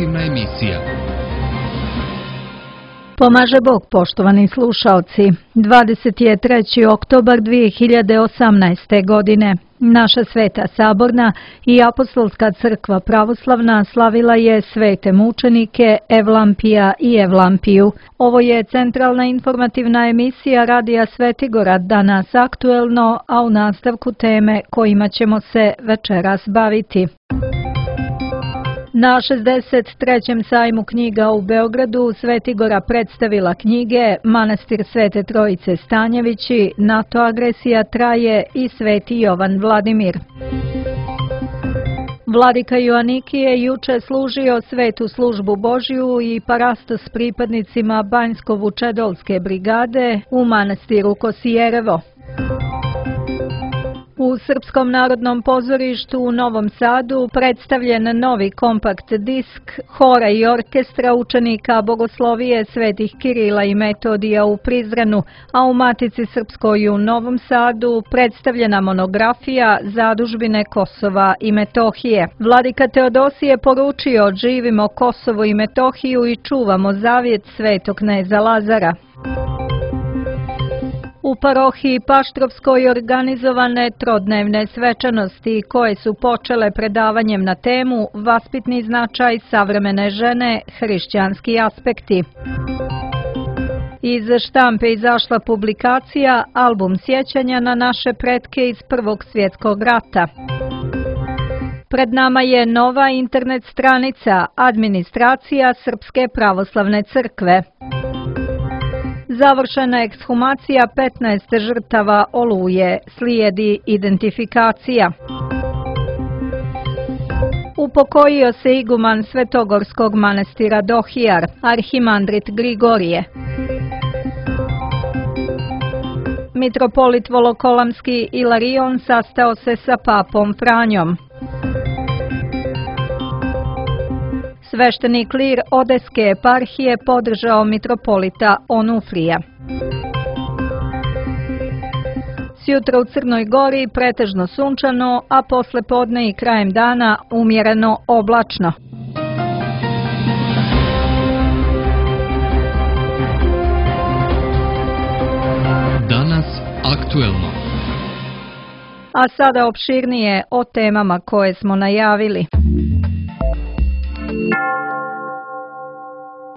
informativna emisija. Pomaže Bog, poštovani slušaoci. 23. oktobar 2018. godine. Naša Sveta Saborna i Apostolska crkva pravoslavna slavila je svete mučenike Evlampija i Evlampiju. Ovo je centralna informativna emisija Radija Svetigorad, danas aktuelno, a u nastavku teme kojima ćemo se večeras baviti. Na 63. sajmu knjiga u Beogradu Svetigora predstavila knjige Manastir Svete Trojice Stanjevići, NATO agresija traje i Sveti Jovan Vladimir. Vladika Joanikije je juče služio svetu službu Božju i parasto s pripadnicima Banjsko-Vučedolske brigade u manastiru Kosijerevo. U Srpskom narodnom pozorištu u Novom Sadu predstavljen novi kompakt disk hora i orkestra učenika Bogoslovije svetih Kirila i Metodija u Prizrenu, a u Matici Srpskoj u Novom Sadu predstavljena monografija Zadužbine Kosova i Metohije. Vladika Teodosije poručio: živimo Kosovo i Metohiju i čuvamo zavjet svetog kneza Lazara. U parohiji Paštrovskoj organizovane trodnevne svečanosti koje su počele predavanjem na temu Vaspitni značaj savremene žene, hrišćanski aspekti. Iz štampe izašla publikacija Album sjećanja na naše pretke iz Prvog svjetskog rata. Pred nama je nova internet stranica Administracija Srpske pravoslavne crkve. Završena ekshumacija 15 žrtava Oluje, slijedi identifikacija. Upokojio se iguman Svetogorskog manastira Dohijar, arhimandrit Grigorije. Mitropolit Volokolamski Ilarion sastao se sa papom Franjom. Svešteni klir Odeske eparhije podržao mitropolita Onufrija. Sjutra u Crnoj Gori pretežno sunčano, a posle podne i krajem dana umjereno oblačno. Danas aktuelno. A sada opširnije o temama koje smo najavili.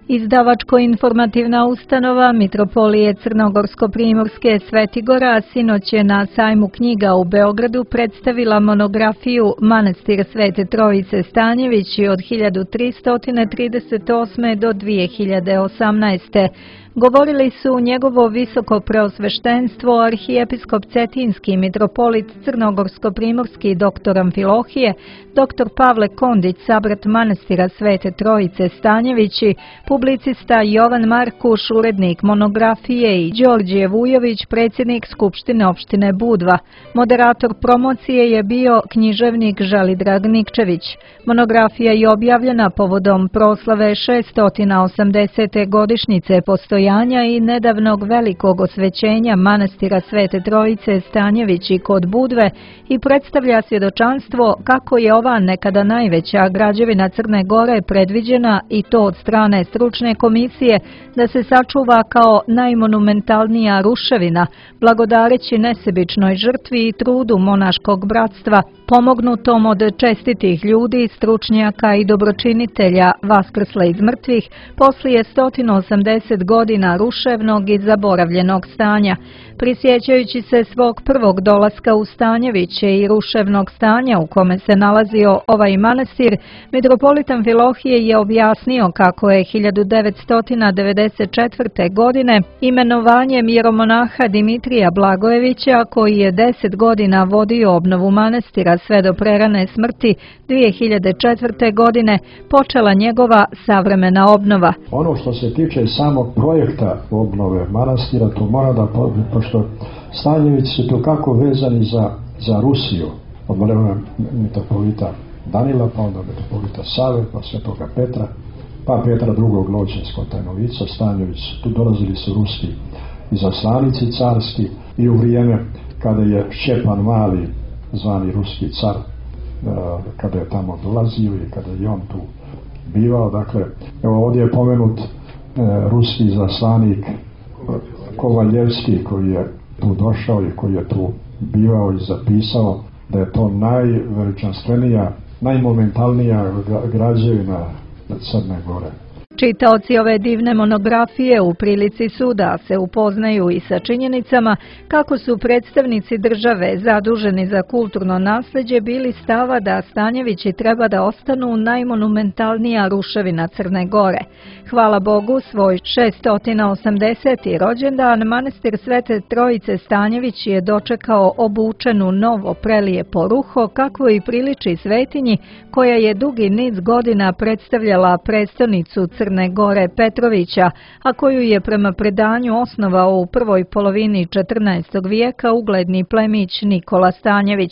Izdavačko-informativna ustanova Mitropolije Crnogorsko-Primorske Svetigora sinoć je na sajmu knjiga u Beogradu predstavila monografiju Manastir Svete Trojice Stanjevići od 1338. do 2018. Govorili su njegovo visoko preosveštenstvo arhijepiskop Cetinski, mitropolit Crnogorsko-Primorski dr. Amfilohije, dr. Pavle Kondić, sabrat manastira Svete Trojice Stanjevići, publicista Jovan Markuš, urednik monografije, i Đorđe Vujović, predsjednik Skupštine opštine Budva. Moderator promocije je bio književnik Želidrag Nikčević. Monografija je objavljena povodom proslave 680. godišnjice postojanja i nedavnog velikog osvećenja manastira Svete Trojice Stanjevići kod Budve i predstavlja svjedočanstvo kako je ova nekada najveća građevina Crne Gore predviđena, i to od strane stručne komisije, da se sačuva kao najmonumentalnija ruševina, blagodareći nesebičnoj žrtvi i trudu monaškog bratstva, pomognutom od čestitih ljudi, stručnjaka i dobročinitelja vaskrsle iz mrtvih poslije 180 godina ruševnog i zaboravljenog stanja. Prisjećajući se svog prvog dolaska u Stanjeviće i ruševnog stanja u kome se nalazio ovaj manastir, mitropolit Amfilohije je objasnio kako je 1994. godine imenovanjem jeromonaha Dimitrija Blagojevića, koji je 10 godina vodio obnovu manastira sve do prerane smrti 2004. godine, počela njegova savremena obnova. Ono što se tiče samog projekta obnove manastira, to mora da, pošto Stanjevići su to kako vezani za Rusiju, od vremena mitropolita Danila, pa onda mitropolita Save, pa svetoga Petra, pa Petra II. Loćinsko-Tajnovica, Stanjević, tu dolazili su ruski izaslanici carski, i u vrijeme kada je Šćepan Mali, zvani ruski car, kada je tamo dolazio i kada je on tu bivao. Dakle, evo ovdje je pomenut ruski zaslanik Kovaljevski koji je tu došao i koji je tu bivao i zapisao da je to najveličanstvenija, najmomentalnija građevina Crne Gore. Čitaoci ove divne monografije u prilici su da se upoznaju i sa činjenicama kako su predstavnici države zaduženi za kulturno nasleđe bili stava da Stanjevići treba da ostanu najmonumentalnija ruševina Crne Gore. Hvala Bogu, svoj 680. rođendan manastir Svete Trojice Stanjević je dočekao obučenu novo prelijepo ruho kakvo i priliči svetinji koja je dugi niz godina predstavljala prestonicu Crne Gore Petrovića, a koju je prema predanju osnovao u prvoj polovini 14. vijeka ugledni plemić Nikola Stanjević.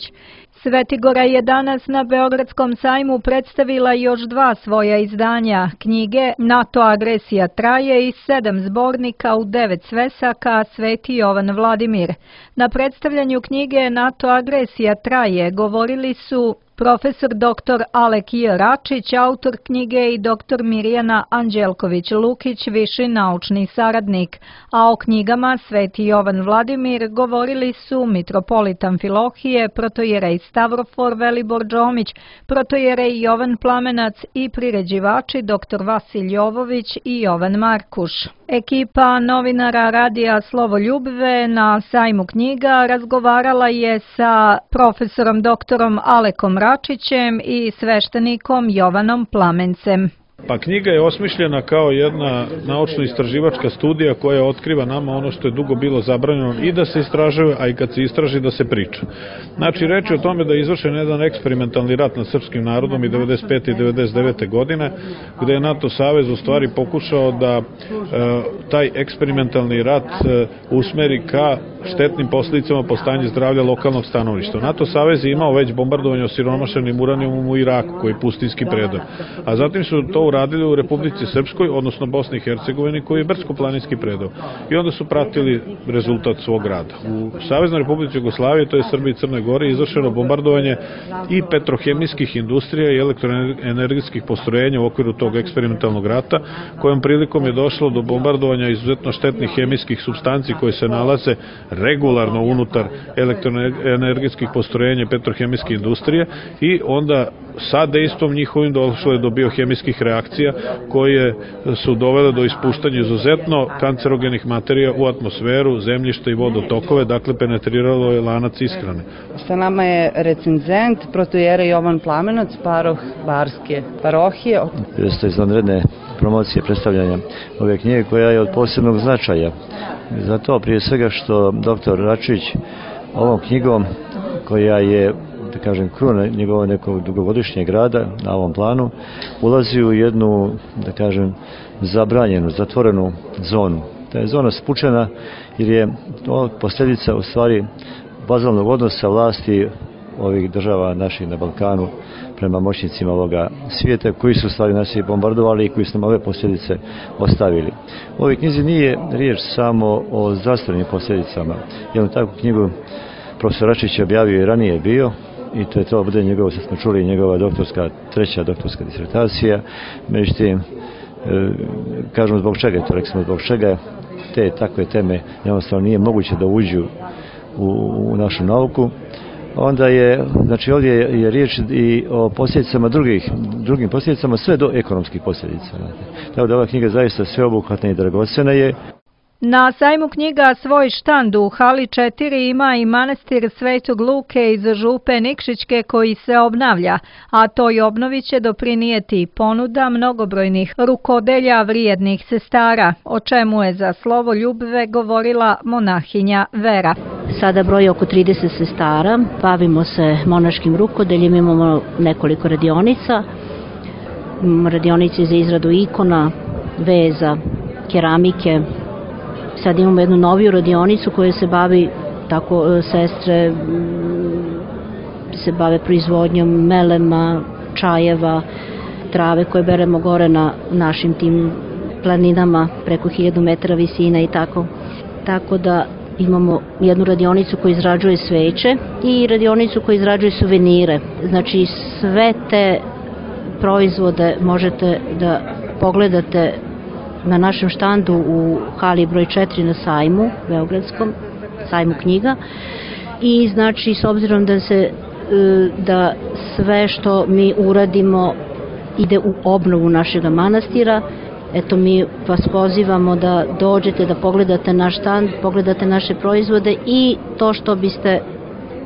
Svetigora je danas na Beogradskom sajmu predstavila još 2 svoja izdanja, knjige NATO agresija traje i 7 zbornika u 9 svesaka Sveti Jovan Vladimir. Na predstavljanju knjige NATO agresija traje govorili su profesor dr. Alek J. Račić, autor knjige, i dr. Mirjana Anđelković-Lukić, viši naučni saradnik, a o knjigama Sveti Jovan Vladimir govorili su mitropolit Amfilohije, protojerej Stavrofor Velibor Džomić, protojerej Jovan Plamenac i priređivači dr. Vasilj Jovović i Jovan Markuš. Ekipa novinara radija Slovoljubive na sajmu knjiga razgovarala je sa profesorom doktorom Alekom Račićem i sveštenikom Jovanom Plamencem. Pa knjiga je osmišljena kao jedna naučno-istraživačka studija koja otkriva nama ono što je dugo bilo zabranjeno i da se istražuje, a i kad se istraži da se priča. Znači, reč je o tome da je izvršen jedan eksperimentalni rat nad srpskim narodom i 95. i 99. godine, gde je NATO savez u stvari pokušao da taj eksperimentalni rat usmeri ka štetnim posljedicama po stanju zdravlja lokalnog stanovništva. NATO savez je imao već bombardovanje osiromašenim uranijumom u Iraku, koji je pustinski predor. A zatim su to uradili u Republici Srpskoj, odnosno Bosni i Hercegovini, koji je brdsko-planinski predor. I onda su pratili rezultat svog rada. U Saveznoj Republici Jugoslavije, to je Srbiji i Crnoj Gori, izvršeno bombardovanje i petrohemijskih industrija i elektroenergetskih postrojenja u okviru tog eksperimentalnog rata, kojom prilikom je došlo do bombardovanja izuzetno štetnih hemijskih supstanci koje se nalaze regularno unutar elektroenergetskih postrojenja i petrohemijske industrije, i onda sa dejstvom njihovim došlo je do biohemijskih reakcija koje su dovele do ispuštanja izuzetno kancerogenih materija u atmosferu, zemljište i vodotokove, dakle penetriralo je lanac ishrane. Sa nama je recenzent, protojerej Jovan Plamenac, paroh Barske parohije. Jeste izvanredne promocije predstavljanja ove knjige koja je od posebnog značaja. Zato prije svega što dr. Račić ovom knjigom, koja je, da kažem, kruna njegovog nekog dugogodišnjeg rada na ovom planu, ulazi u jednu, da kažem, zabranjenu, zatvorenu zonu. Ta je zona spučena jer je to posljedica u stvari vazalnog odnosa vlasti ovih država naših na Balkanu prema moćnicima ovoga svijeta, koji su u stvari nas i bombardovali i koji su nam ove posljedice ostavili. U ovoj knjizi nije riječ samo o zdravstvenim posljedicama. Jednu takvu knjigu profesor Račić je objavio i ranije bio, i to je to bude njegova, sad smo čuli, njegova treća doktorska disertacija. Međutim, kažemo zbog čega, to rekli smo zbog čega te takve teme jednostavno nije moguće da uđu u našu nauku. Onda je, znači ovdje je riječ i o posljedicama drugim posljedicama, sve do ekonomskih posljedica. Tako da ova knjiga zaista sveobuhvatna i dragocjena je. Na sajmu knjiga svoj štand u hali 4 ima i manastir Svetog Luke iz Župe Nikšićke koji se obnavlja, a toj obnovi će doprinijeti ponuda mnogobrojnih rukodelja vrijednih sestara, o čemu je za Slovoljubive govorila monahinja Vera. Sada broji oko 30 sestara, bavimo se monaškim rukodeljem, imamo nekoliko radionica, radionice za izradu ikona, veza, keramike. Sad imamo jednu noviju radionicu koja se bavi, tako sestre se bave proizvodnjom melema, čajeva, trave koje beremo gore na našim tim planinama preko 1000 metara visina i tako. Tako da imamo jednu radionicu koja izrađuje sveće i radionicu koja izrađuje suvenire. Znači sve te proizvode možete da pogledate na našem štandu u hali broj 4 na sajmu, Beogradskom, sajmu knjiga. I znači, s obzirom da sve što mi uradimo ide u obnovu našeg manastira, eto, mi vas pozivamo da dođete, da pogledate naš štand, pogledate naše proizvode i to što biste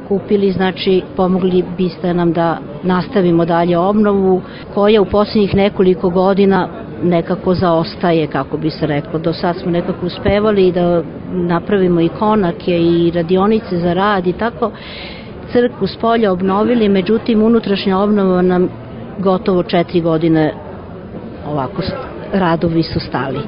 kupili, znači pomogli biste nam da nastavimo dalje obnovu koja u posljednjih nekoliko godina nekako zaostaje, kako bi se reklo. Do sad smo nekako uspevali da napravimo i konake i radionice za rad i tako, crkvu s polja obnovili, međutim unutrašnja obnova nam gotovo 4 godine ovako radovi su stali.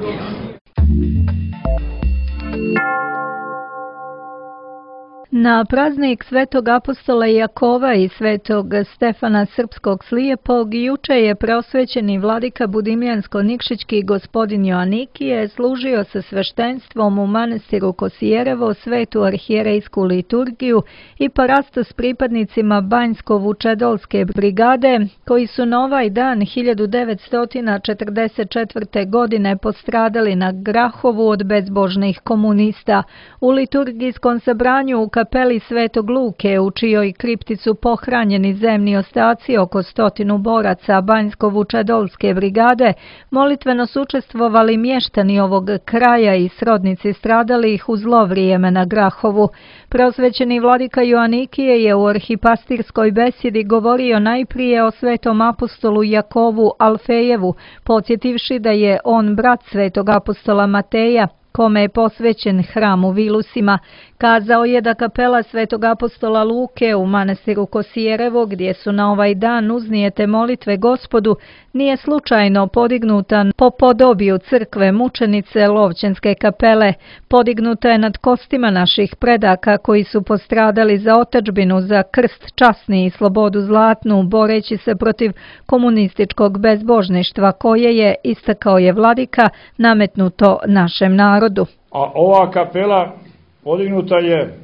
Na praznik Svetog apostola Jakova i Svetog Stefana Srpskog Slijepog juče je preosvećeni vladika Budimljansko-Nikšićki gospodin Joanikije služio sa sveštenstvom u manastiru Kosijerevo svetu arhijerejsku liturgiju i parasto s pripadnicima Banjsko-Vučedolske brigade, koji su na ovaj dan 1944. godine postradali na Grahovu od bezbožnih komunista. U liturgijskom sabranju u kapeli Svetog Luke, u čijoj kripti su pohranjeni zemni ostaci oko 100 boraca Banjsko-Vučedolske brigade, molitveno su učestvovali mještani ovog kraja i srodnici stradalih u zlo vrijeme na Grahovu. Preosvećeni vladika Joanikije je u arhipastirskoj besjedi govorio najprije o svetom apostolu Jakovu Alfejevu, podsjetivši da je on brat svetog apostola Mateja, kome je posvećen hram u Vilusima. Kazao je da kapela svetog apostola Luke u manastiru Kosijerevo, gdje su na ovaj dan uznijete molitve Gospodu, nije slučajno podignuta po podobiju crkve mučenice Lovćenske kapele. Podignuta je nad kostima naših predaka koji su postradali za otadžbinu, za krst časni i slobodu zlatnu, boreći se protiv komunističkog bezbožništva koje je, istakao je vladika, nametnuto našem narodu. A ova kapela podignuta je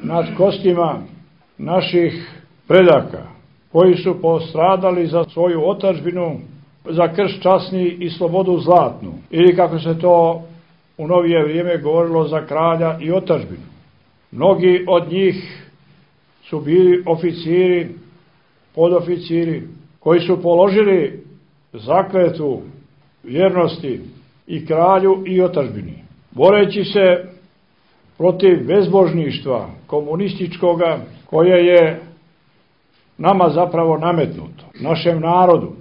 nad kostima naših predaka koji su postradali za svoju otadžbinu, za krst časni i slobodu zlatnu, ili kako se to u novije vrijeme govorilo, za kralja i otadžbinu. Mnogi od njih su bili oficiri, podoficiri koji su položili zakletvu vjernosti i kralju i otadžbini, boreći se protiv bezbožništva komunističkoga koje je nama zapravo nametnuto, našem narodu.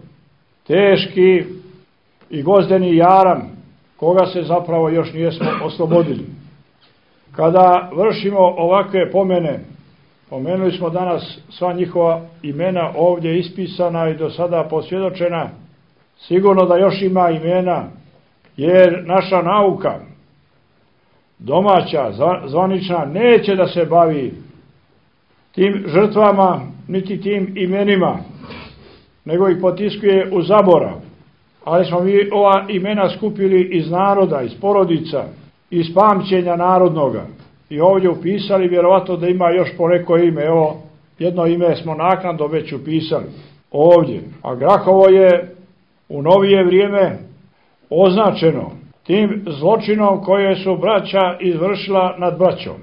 Teški i gozdeni jaram koga se zapravo još nijesmo oslobodili. Kada vršimo ovakve pomene, pomenuli smo danas sva njihova imena ovdje ispisana i do sada posvjedočena, sigurno da još ima imena, jer naša nauka domaća, zvanična, neće da se bavi tim žrtvama, niti tim imenima, nego ih potiskuje u zaborav. Ali smo mi ova imena skupili iz naroda, iz porodica, iz pamćenja narodnoga. I ovdje upisali, vjerovatno da ima još po neko ime. Evo, jedno ime smo naknadno već upisali ovdje. A Grahovo je u novije vrijeme označeno tim zločinom koje su braća izvršila nad braćom.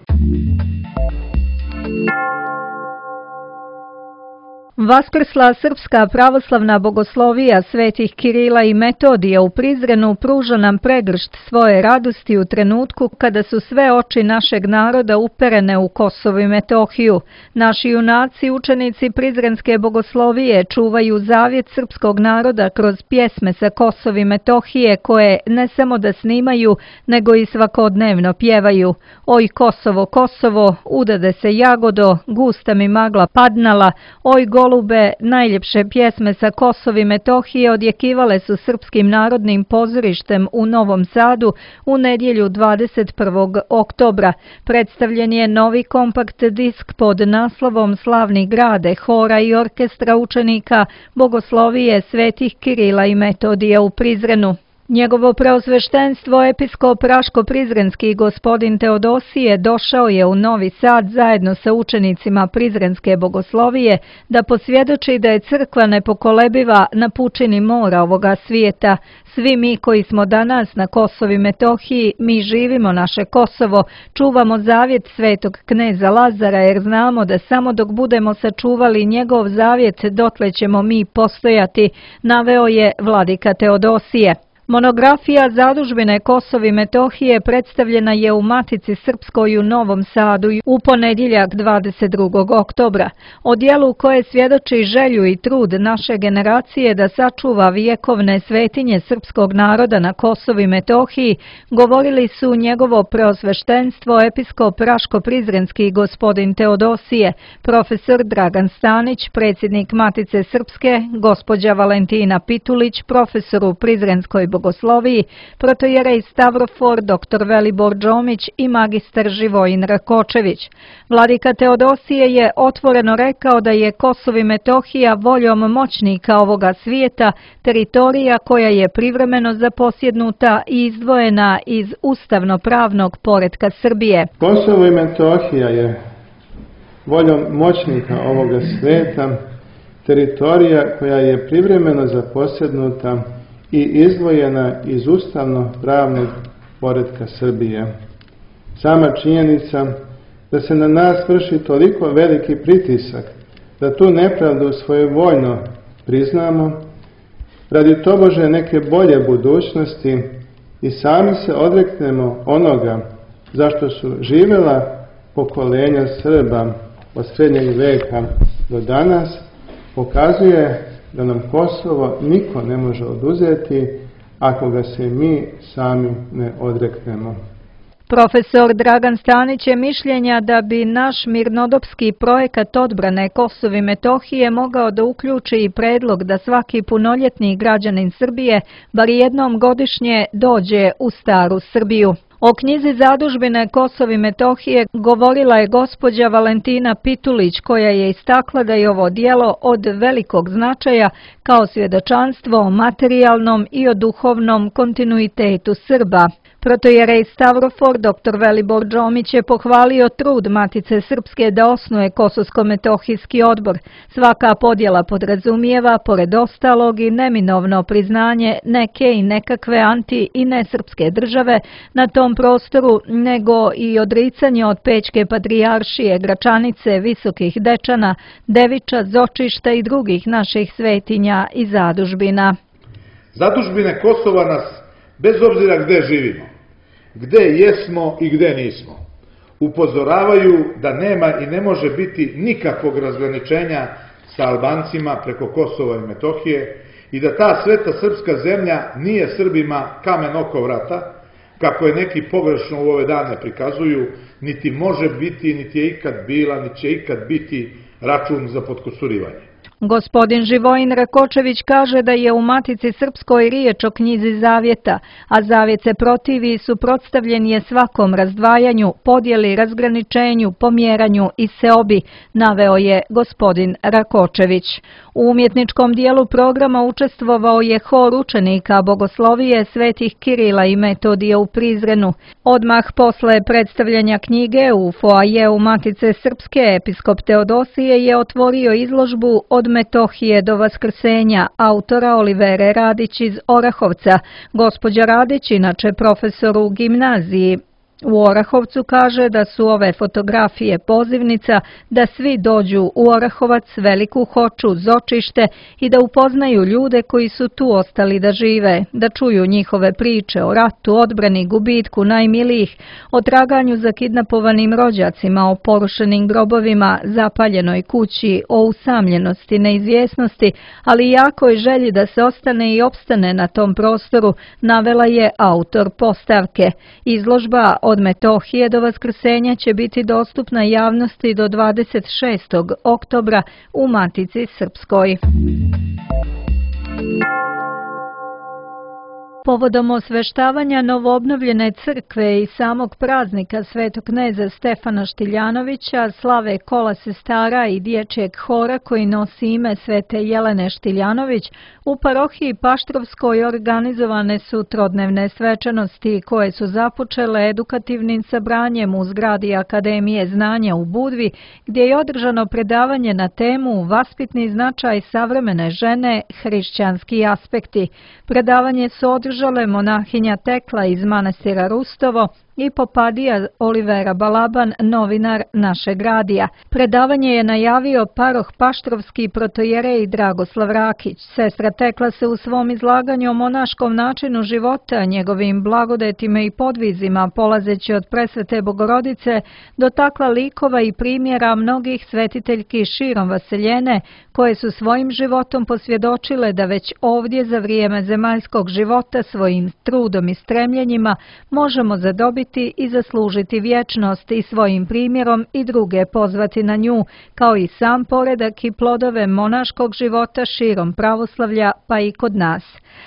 Vaskrsla srpska pravoslavna bogoslovija svetih Kirila i Metodija u Prizrenu pruža nam pregršt svoje radosti u trenutku kada su sve oči našeg naroda uperene u Kosovo i Metohiju. Naši junaci, učenici Prizrenske bogoslovije, čuvaju zavjet srpskog naroda kroz pjesme sa Kosova i Metohije koje ne samo da snimaju, nego i svakodnevno pjevaju. Oj Kosovo, Kosovo, udade se jagodo, gusta mi magla padnala, oj golube, najljepše pjesme sa Kosova i Metohije odjekivale su Srpskim narodnim pozorištem u Novom Sadu u nedjelju 21. oktobra. Predstavljen je novi kompakt disk pod naslovom Slavni grade, hora i orkestra učenika bogoslovije svetih Kirila i Metodija u Prizrenu. Njegovo preosveštenstvo episkop Raško-Prizrenski gospodin Teodosije došao je u Novi Sad zajedno sa učenicima Prizrenske bogoslovije da posvjedoči da je crkva nepokolebiva na pučini mora ovoga svijeta. Svi mi koji smo danas na Kosovu i Metohiji, mi živimo naše Kosovo, čuvamo zavjet svetog kneza Lazara jer znamo da samo dok budemo sačuvali njegov zavjet dotle ćemo mi postojati, naveo je vladika Teodosije. Monografija Zadužbine Kosova i Metohije predstavljena je u Matici Srpskoj u Novom Sadu u ponedjeljak 22. oktobra. O dijelu koje svjedoči želju i trud naše generacije da sačuva vjekovne svetinje srpskog naroda na Kosovu i Metohiji govorili su njegovo preosveštenstvo episkop Raško-Prizrenski gospodin Teodosije, profesor Dragan Stanić, predsjednik Matice Srpske, gospođa Valentina Pitulić, profesor u Prizrenskoj bogosloviji, protojerej Stavrofor, dr. Velibor Džomić i magistar Živojin Rakočević. Vladika Teodosije je otvoreno rekao da je Kosovo i Metohija voljom moćnika ovoga svijeta teritorija koja je privremeno zaposjednuta i izdvojena iz ustavno-pravnog poretka Srbije. Kosovo i Metohija je voljom moćnika ovoga svijeta teritorija koja je privremeno zaposjednuta i izdvojena iz ustavno-pravnog poretka Srbije. Sama činjenica da se na nas vrši toliko veliki pritisak da tu nepravdu svojevoljno priznamo, radi tobože neke bolje budućnosti i sami se odreknemo onoga zašto su živjela pokolenja Srba od srednjeg veka do danas, pokazuje da nam Kosovo niko ne može oduzeti ako ga se mi sami ne odreknemo. Profesor Dragan Stanić je mišljenja da bi naš mirnodopski projekat odbrane Kosova i Metohije mogao da uključi i predlog da svaki punoljetni građanin Srbije bar jednom godišnje dođe u staru Srbiju. O knjizi Zadužbine Kosova i Metohije govorila je gospođa Valentina Pitulić koja je istakla da je ovo djelo od velikog značaja kao svjedočanstvo o materijalnom i o duhovnom kontinuitetu Srba. Protojerej Stavrofor, dr. Velibor Džomić je pohvalio trud Matice Srpske da osnuje Kosovsko-Metohijski odbor. Svaka podjela podrazumijeva, pored ostalog, i neminovno priznanje neke i nekakve anti- i nesrpske države na tom prostoru, nego i odricanje od Pećke patrijaršije, Gračanice, Visokih Dečana, Deviča, Zočišta i drugih naših svetinja i zadužbina. Zadužbine Kosova nas, bez obzira gde živimo, gde jesmo i gde nismo, upozoravaju da nema i ne može biti nikakvog razgraničenja sa Albancima preko Kosova i Metohije i da ta sveta srpska zemlja nije Srbima kamen oko vrata, kako je neki pogrešno u ove dane prikazuju, niti može biti, niti je ikad bila, niti će ikad biti račun za potkusurivanje. Gospodin Živojin Rakočević kaže da je u Matici Srpskoj riječ o knjizi zavjeta, a zavjet se protivi i suprotstavljen je svakom razdvajanju, podjeli, razgraničenju, pomjeranju i seobi, naveo je gospodin Rakočević. U umjetničkom dijelu programa učestvovao je hor učenika bogoslovije svetih Kirila i Metodija u Prizrenu. Odmah posle predstavljanja knjige u foajeu Matice Srpske episkop Teodosije je otvorio izložbu Od Metohije do Vaskrsenja autora Olivere Radić iz Orahovca. Gospođa Radić, inače profesor u gimnaziji u Orahovcu, kaže da su ove fotografije pozivnica da svi dođu u Orahovac, Veliku Hoču, Zočište i da upoznaju ljude koji su tu ostali da žive, da čuju njihove priče o ratu, odbrani, gubitku najmilijih, o traganju za kidnapovanim rođacima, o porušenim grobovima, zapaljenoj kući, o usamljenosti, neizvjesnosti, ali i jakoj želji da se ostane i opstane na tom prostoru, navela je autor postavke. Izložba Od Metohije do Vaskrsenja će biti dostupna javnosti do 26. oktobra u Matici Srpskoj. Povodom osveštavanja novoobnovljene crkve i samog praznika svetog kneza Stefana Štiljanovića slave kola sestara i dječjeg hora koji nosi ime Svete Jelene Štiljanović, u parohiji Paštrovskoj organizovane su trodnevne svečanosti koje su započele edukativnim sabranjem u zgradi Akademije znanja u Budvi, gdje je održano predavanje na temu Vaspitni značaj savremene žene, hrišćanski aspekti. Predavanje su održale monahinja Tekla iz manastira Rustovo i popadija Olivera Balaban, novinar našeg radija. Predavanje je najavio paroh Paštrovski protojerej Dragoslav Rakić. Sestra Tekla se u svom izlaganju o monaškom načinu života, njegovim blagodetima i podvizima, polazeći od presvete Bogorodice, dotakla likova i primjera mnogih svetiteljki širom vaseljene, koje su svojim životom posvjedočile da već ovdje za vrijeme zemaljskog života svojim trudom i stremljenjima možemo zadobiti i zaslužiti vječnost i svojim primjerom i druge pozvati na nju, kao i sam poredak i plodove monaškog života širom pravoslavlja pa i kod nas.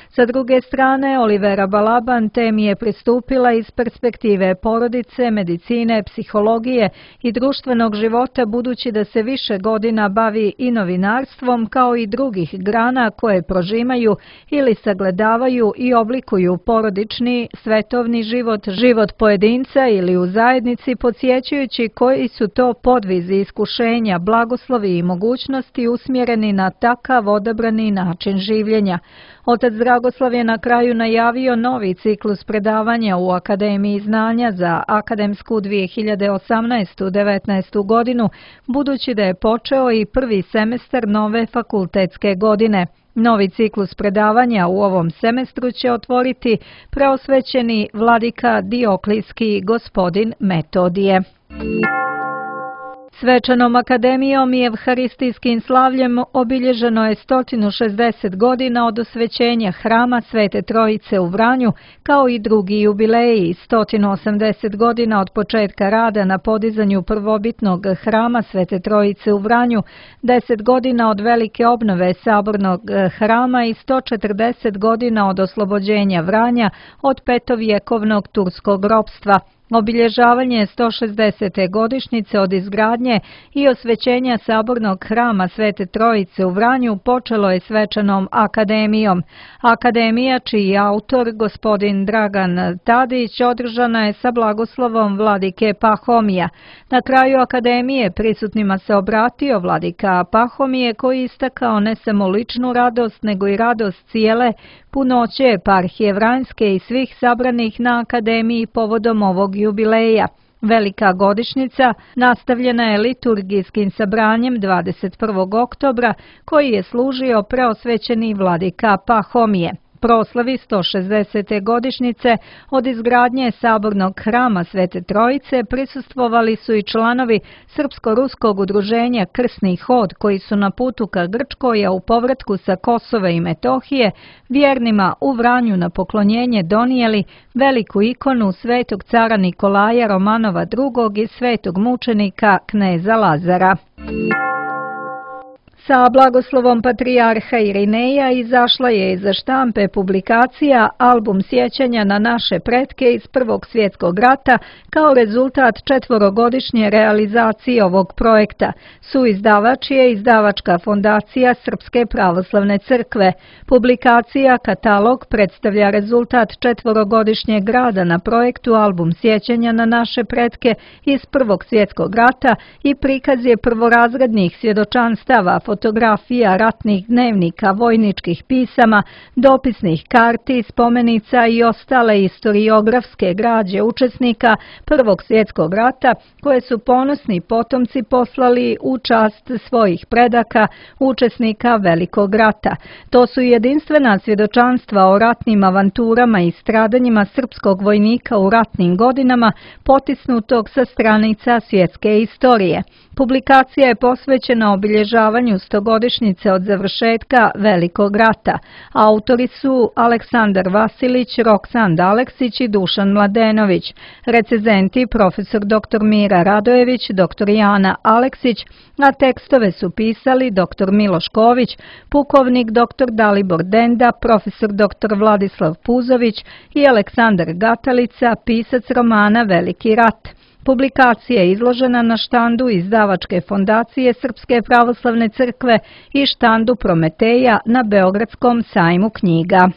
Sa druge strane, Olivera Balaban temi je pristupila iz perspektive porodice, medicine, psihologije i društvenog života, budući da se više godina bavi i novinarstvom kao i drugih grana koje prožimaju ili sagledavaju i oblikuju porodični, svetovni život, život pojedinca ili u zajednici, podsjećajući koji su to podvizi, iskušenja, blagoslovi i mogućnosti usmjereni na takav odabrani način življenja. Otac Dragoslav je na kraju najavio novi ciklus predavanja u Akademiji znanja za akademsku 2018-19. godinu, budući da je počeo i prvi semestar nove fakultetske godine. Novi ciklus predavanja u ovom semestru će otvoriti preosvećeni vladika Dioklijski gospodin Metodije. Svečanom akademijom i evharistijskim slavljem obilježeno je 160 godina od osvećenja hrama Svete Trojice u Vranju, kao i drugi jubileji, 180 godina od početka rada na podizanju prvobitnog hrama Svete Trojice u Vranju, 10 godina od velike obnove sabornog hrama i 140 godina od oslobođenja Vranja od petovjekovnog turskog ropstva. Obilježavanje 160. godišnjice od izgradnje i osvećenja sabornog hrama Svete Trojice u Vranju počelo je svečanom akademijom. Akademija, čiji je autor gospodin Dragan Tadić, održana je sa blagoslovom vladike Pahomija. Na kraju akademije prisutnima se obratio vladika Pahomije, koji istakao ne samo ličnu radost, nego i radost cijele punoće eparhije Vranjske i svih sabranih na akademiji povodom ovog jubileja. Velika godišnjica nastavljena je liturgijskim sabranjem 21. oktobra, koji je služio preosvećeni vladika Pahomije. Proslavi 160. godišnjice od izgradnje sabornog hrama Svete Trojice prisustvovali su i članovi Srpsko-ruskog udruženja Krsni hod, koji su na putu ka Grčkoj, a u povratku sa Kosova i Metohije vjernima u Vranju na poklonjenje donijeli veliku ikonu svetog cara Nikolaja Romanova II i svetog mučenika kneza Lazara. Sa blagoslovom patrijarha Irineja izašla je iza štampe publikacija Album sjećanja na naše pretke iz Prvog svjetskog rata kao rezultat 4-godišnje realizacije ovog projekta. Suizdavač je izdavačka fondacija Srpske pravoslavne crkve. Publikacija Katalog predstavlja rezultat 4-godišnjeg rada na projektu Album sjećanja na naše pretke iz Prvog svjetskog rata i prikaz je prvorazrednih svjedočanstava, fotografija, ratnih dnevnika, vojničkih pisama, dopisnih karti, spomenica i ostale istoriografske građe učesnika Prvog svjetskog rata, koje su ponosni potomci poslali u čast svojih predaka, učesnika Velikog rata. To su jedinstvena svjedočanstva o ratnim avanturama i stradanjima srpskog vojnika u ratnim godinama, potisnutog sa stranica svjetske istorije. Publikacija je posvećena obilježavanju stogodišnjice od završetka Velikog rata. Autori su Aleksandar Vasilić, Roksand Aleksić i Dušan Mladenović. Recenzenti profesor dr. Mira Radojević, dr. Jana Aleksić, a tekstove su pisali dr. Miloš Ković, pukovnik dr. Dalibor Denda, profesor dr. Vladislav Puzović i Aleksandar Gatalica, pisac romana Veliki rat. Publikacija je izložena na štandu Izdavačke fondacije Srpske pravoslavne crkve i štandu Prometeja na Beogradskom sajmu knjiga.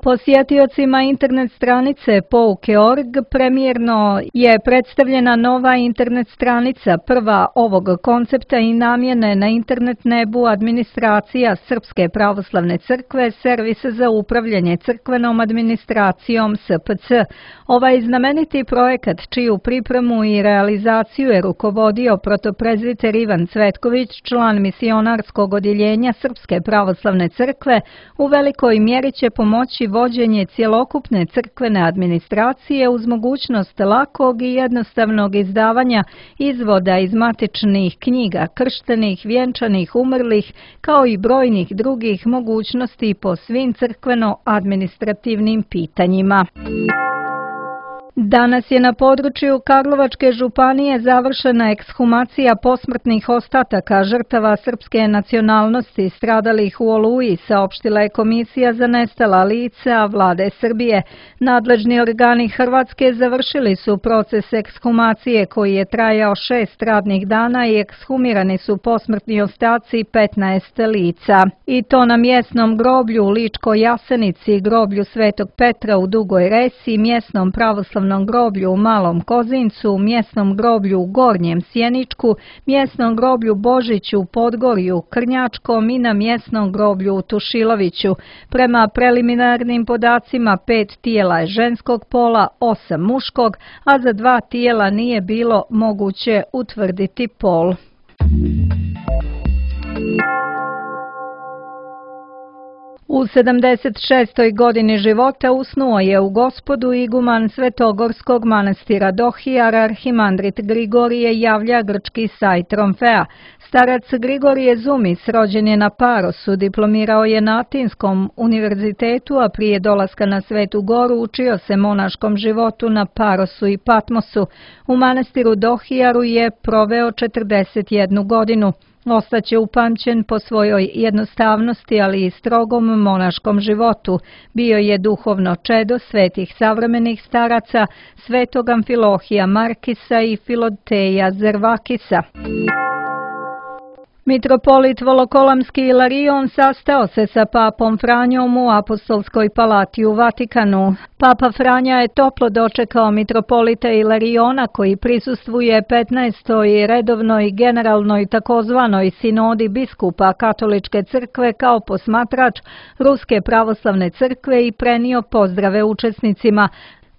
Posjetiocima internet stranice pouke.org premijerno je predstavljena nova internet stranica, prva ovog koncepta i namjene na internet nebu administracija Srpske pravoslavne crkve, servis za upravljanje crkvenom administracijom SPC. Ovaj znameniti projekat, čiju pripremu i realizaciju je rukovodio protoprezbiter Ivan Cvetković, član misionarskog odjeljenja Srpske pravoslavne crkve, u velikoj mjeri će pomoći vođenje cjelokupne crkvene administracije uz mogućnost lakog i jednostavnog izdavanja izvoda iz matičnih knjiga krštenih, vjenčanih, umrlih, kao i brojnih drugih mogućnosti po svim crkveno-administrativnim pitanjima. Danas je na području Karlovačke županije završena ekshumacija posmrtnih ostataka žrtava srpske nacionalnosti stradalih u Oluji, saopštila je Komisija za nestala lica Vlade Srbije. Nadležni organi Hrvatske završili su proces ekshumacije koji je trajao 6 radnih dana i ekshumirani su posmrtni ostaci 15 lica. I to na mjesnom groblju u Ličkoj Jasenici, groblju Svetog Petra u Dugoj Resi, mjesnom pravoslavnom groblju u Malom Kozincu, mjesnom groblju u Gornjem Sjeničku, mjesnom groblju Božiću u Podgorju, Krnjačkom i na mjesnom groblju u Tušiloviću. Prema preliminarnim podacima 5 tijela je ženskog pola, 8 muškog, a za 2 tijela nije bilo moguće utvrditi pol. U 76. godini života usnuo je u Gospodu iguman Svetogorskog manastira Dohijar, arhimandrit Grigorije Javlja grčki saj Tromfea. Starac Grigorije Zumis rođen je na Parosu, diplomirao je na Atinskom univerzitetu, a prije dolaska na Svetu Goru učio se monaškom životu na Parosu i Patmosu. U manastiru Dohijaru je proveo 41 godinu. Ostaće upamćen po svojoj jednostavnosti, ali i strogom monaškom životu. Bio je duhovno čedo svetih savremenih staraca, svetog Amfilohija Markisa i Filoteja Zervakisa. Mitropolit Volokolamski Ilarion sastao se sa papom Franjom u Apostolskoj palati u Vatikanu. Papa Franja je toplo dočekao mitropolita Ilariona koji prisustvuje 15. redovnoj generalnoj takozvanoj sinodi biskupa Katoličke crkve kao posmatrač Ruske pravoslavne crkve i prenio pozdrave učesnicima.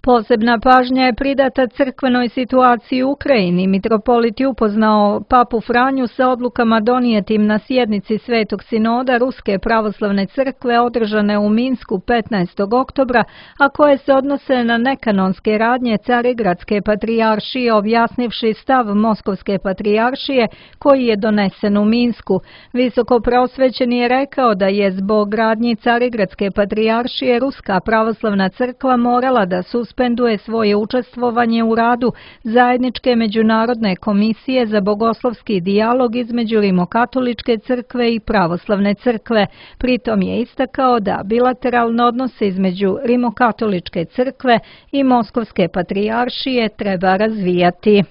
Posebna pažnja je pridata crkvenoj situaciji u Ukrajini. Mitropolit je upoznao papu Franju sa odlukama donijetim na sjednici Svetog sinoda Ruske pravoslavne crkve održane u Minsku 15. oktobra, a koje se odnose na nekanonske radnje Carigradske patrijaršije, objasnivši stav Moskovske patrijaršije koji je donesen u Minsku. Visoko preosvećeni je rekao da je zbog radnji Carigradske patrijaršije Ruska pravoslavna crkva morala da suspenduje svoje učestvovanje u radu zajedničke međunarodne komisije za bogoslovski dijalog između Rimokatoličke crkve i pravoslavne crkve. Pritom je istakao da bilateralne odnose između Rimokatoličke crkve i Moskovske patrijaršije treba razvijati.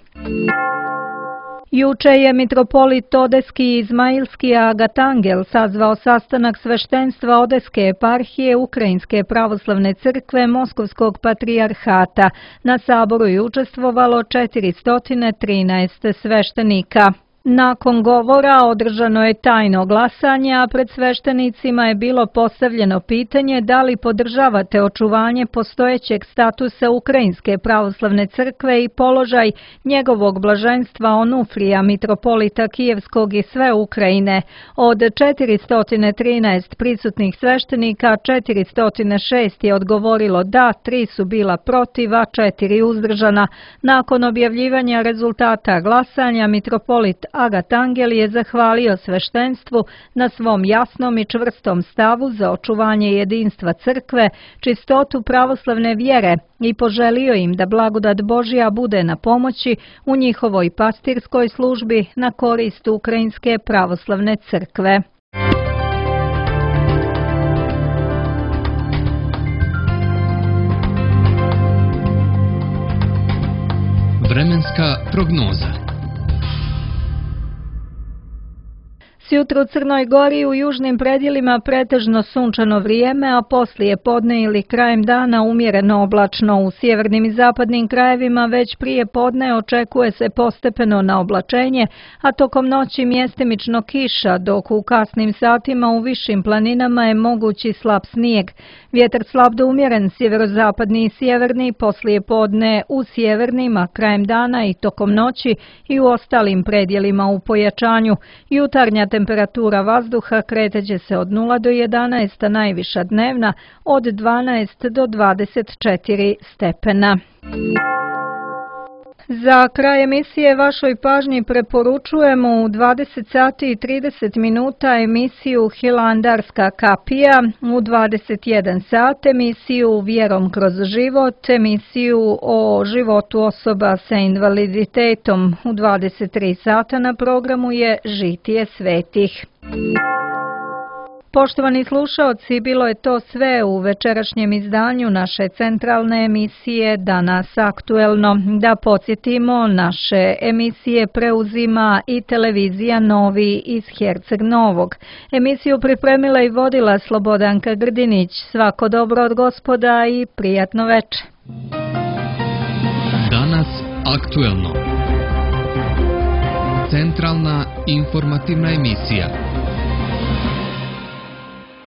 Juče je mitropolit Odeski i Izmailski Agatangel sazvao sastanak sveštenstva Odeske eparhije Ukrajinske pravoslavne crkve Moskovskog patrijarhata. Na saboru je učestvovalo 413 sveštenika. Nakon govora održano je tajno glasanje, a pred sveštenicima je bilo postavljeno pitanje da li podržavate očuvanje postojećeg statusa Ukrajinske pravoslavne crkve i položaj njegovog blaženstva Onufrija, mitropolita Kijevskog i sve Ukrajine. Od 413 prisutnih sveštenika, 406 je odgovorilo da, 3 su bila protiv, a 4 uzdržana. Nakon objavljivanja rezultata glasanja, mitropolit Agatangel je zahvalio sveštenstvu na svom jasnom i čvrstom stavu za očuvanje jedinstva crkve, čistotu pravoslavne vjere i poželio im da blagodat Božja bude na pomoći u njihovoj pastirskoj službi na korist Ukrajinske pravoslavne crkve. Vremenska prognoza. Sjutro u Crnoj Gori i u južnim predjelima pretežno sunčano vrijeme, a poslije podne ili krajem dana umjereno oblačno. U sjevernim i zapadnim krajevima već prije podne očekuje se postepeno na oblačenje, a tokom noći mjestimično kiša, dok u kasnim satima u višim planinama je mogući slab snijeg. Vjetar slab do umjeren sjeverozapadni i sjeverni, poslije podne u sjevernim, a krajem dana i tokom noći i u ostalim predjelima u pojačanju. Jutarnja temperatura vazduha kreteće se od 0 do 11, a najviša dnevna od 12 do 24 stepena. Za kraj emisije vašoj pažnji preporučujemo u 20 sati i 30 minuta emisiju Hilandarska kapija, u 21 sat emisiju Vjerom kroz život, emisiju o životu osoba sa invaliditetom. U 23 sata na programu je Žitije svetih. Poštovani slušaoci, bilo je to sve u večerašnjem izdanju naše centralne emisije Danas aktuelno. Da podsjetimo, naše emisije preuzima i televizija Novi iz Herceg Novog. Emisiju pripremila i vodila Slobodanka Grdinić. Svako dobro od Gospoda i prijatno veče. Danas aktuelno. Centralna informativna emisija.